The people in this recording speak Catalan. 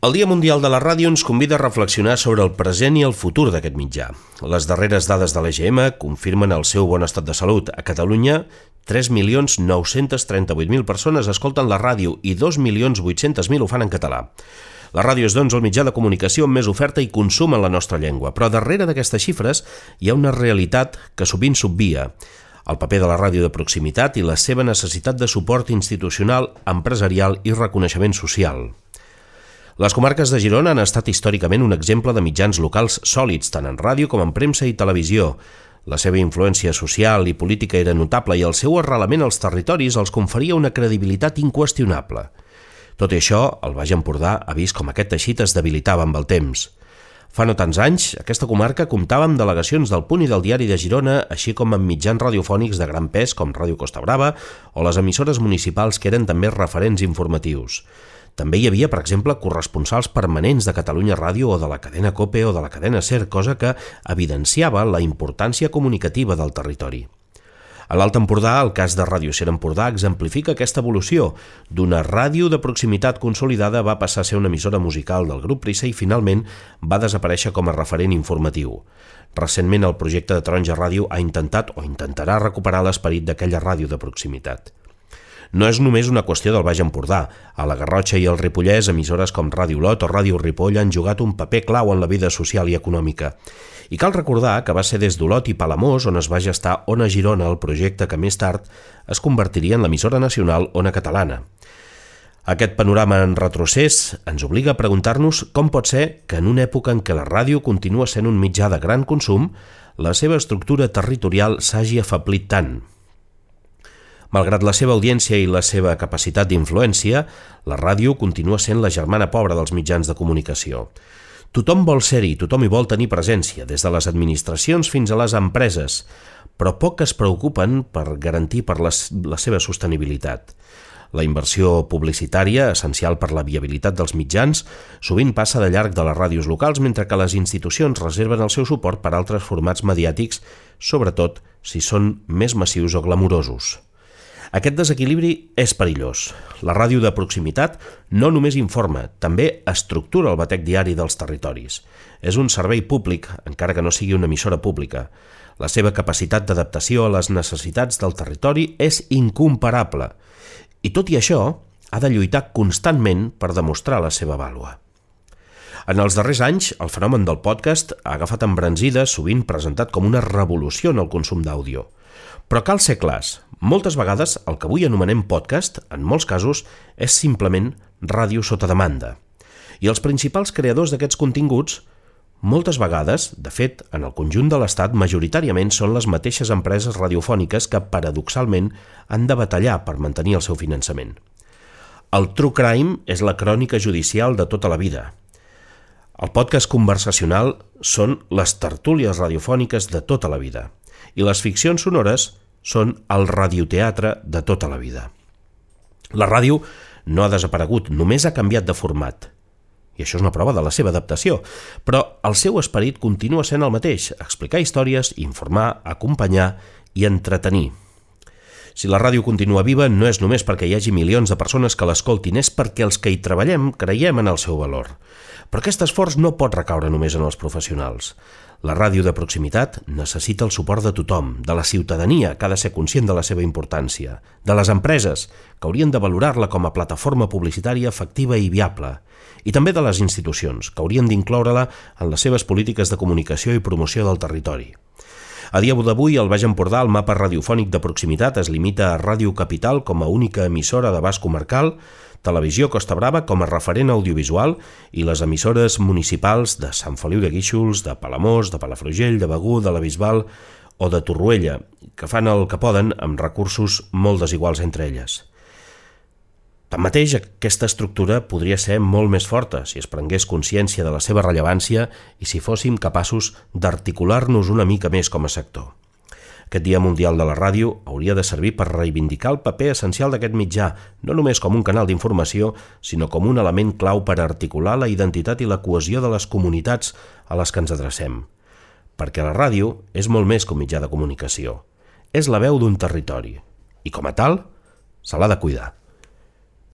El Dia Mundial de la Ràdio ens convida a reflexionar sobre el present i el futur d'aquest mitjà. Les darreres dades de l'EGM confirmen el seu bon estat de salut. A Catalunya, 3.938.000 persones escolten la ràdio i 2.800.000 ho fan en català. La ràdio és, doncs, el mitjà de comunicació amb més oferta i consum en la nostra llengua, però darrere d'aquestes xifres hi ha una realitat que sovint s'obvia: el paper de la ràdio de proximitat i la seva necessitat de suport institucional, empresarial i reconeixement social. Les comarques de Girona han estat històricament un exemple de mitjans locals sòlids, tant en ràdio com en premsa i televisió. La seva influència social i política era notable i el seu arrelament als territoris els conferia una credibilitat inqüestionable. Tot i això, el Baix Empordà ha vist com aquest teixit es debilitava amb el temps. Fa no tants anys, aquesta comarca comptava amb delegacions del Punt i del Diari de Girona, així com amb mitjans radiofònics de gran pes com Ràdio Costa Brava o les emissores municipals que eren també referents informatius. També hi havia, per exemple, corresponsals permanents de Catalunya Ràdio o de la cadena COPE o de la cadena SER, cosa que evidenciava la importància comunicativa del territori. A l'Alt Empordà, el cas de Ràdio SER Empordà exemplifica aquesta evolució. D'una ràdio de proximitat consolidada va passar a ser una emissora musical del grup Prisa i finalment va desaparèixer com a referent informatiu. Recentment, el projecte de Taronja Ràdio ha intentat o intentarà recuperar l'esperit d'aquella ràdio de proximitat. No és només una qüestió del Baix Empordà. A la Garrotxa i el Ripollès, emissores com Ràdio Olot o Ràdio Ripoll han jugat un paper clau en la vida social i econòmica. I cal recordar que va ser des d'Olot i Palamós on es va gestar Ona Girona, el projecte que més tard es convertiria en l'emissora nacional Ona Catalana. Aquest panorama en retrocés ens obliga a preguntar-nos com pot ser que en una època en què la ràdio continua sent un mitjà de gran consum, la seva estructura territorial s'hagi afeblit tant. Malgrat la seva audiència i la seva capacitat d'influència, la ràdio continua sent la germana pobra dels mitjans de comunicació. Tothom vol ser-hi, tothom hi vol tenir presència, des de les administracions fins a les empreses, però poc es preocupen per garantir la seva sostenibilitat. La inversió publicitària, essencial per la viabilitat dels mitjans, sovint passa de llarg de les ràdios locals, mentre que les institucions reserven el seu suport per a altres formats mediàtics, sobretot si són més massius o glamurosos. Aquest desequilibri és perillós. La ràdio de proximitat no només informa, també estructura el batec diari dels territoris. És un servei públic, encara que no sigui una emissora pública. La seva capacitat d'adaptació a les necessitats del territori és incomparable. I tot i això, ha de lluitar constantment per demostrar la seva vàlua. En els darrers anys, el fenomen del podcast ha agafat embranzida, sovint presentat com una revolució en el consum d'àudio. Però cal ser clars, moltes vegades el que avui anomenem podcast, en molts casos, és simplement ràdio sota demanda. I els principals creadors d'aquests continguts, moltes vegades, de fet, en el conjunt de l'Estat, majoritàriament són les mateixes empreses radiofòniques que, paradoxalment, han de batallar per mantenir el seu finançament. El true crime és la crònica judicial de tota la vida. El podcast conversacional són les tertúlies radiofòniques de tota la vida. I les ficcions sonores són el radioteatre de tota la vida. La ràdio no ha desaparegut, només ha canviat de format. I això és una prova de la seva adaptació. Però el seu esperit continua sent el mateix: explicar històries, informar, acompanyar i entretenir. Si la ràdio continua viva, no és només perquè hi hagi milions de persones que l'escoltin, és perquè els que hi treballem creiem en el seu valor. Però aquest esforç no pot recaure només en els professionals. La ràdio de proximitat necessita el suport de tothom, de la ciutadania, que ha de ser conscient de la seva importància, de les empreses, que haurien de valorar-la com a plataforma publicitària efectiva i viable, i també de les institucions, que haurien d'incloure-la en les seves polítiques de comunicació i promoció del territori. A dia d'avui, al Baix Empordà, el mapa radiofònic de proximitat es limita a Ràdio Capital com a única emissora d'abast comarcal, Televisió Costa Brava com a referent audiovisual i les emissores municipals de Sant Feliu de Guíxols, de Palamós, de Palafrugell, de Begur, de la Bisbal o de Torroella, que fan el que poden amb recursos molt desiguals entre elles. Tanmateix, aquesta estructura podria ser molt més forta si es prengués consciència de la seva rellevància i si fóssim capaços d'articular-nos una mica més com a sector. Aquest Dia Mundial de la Ràdio hauria de servir per reivindicar el paper essencial d'aquest mitjà, no només com un canal d'informació, sinó com un element clau per articular la identitat i la cohesió de les comunitats a les que ens adrecem. Perquè la ràdio és molt més que un mitjà de comunicació. És la veu d'un territori i, com a tal, se l'ha de cuidar.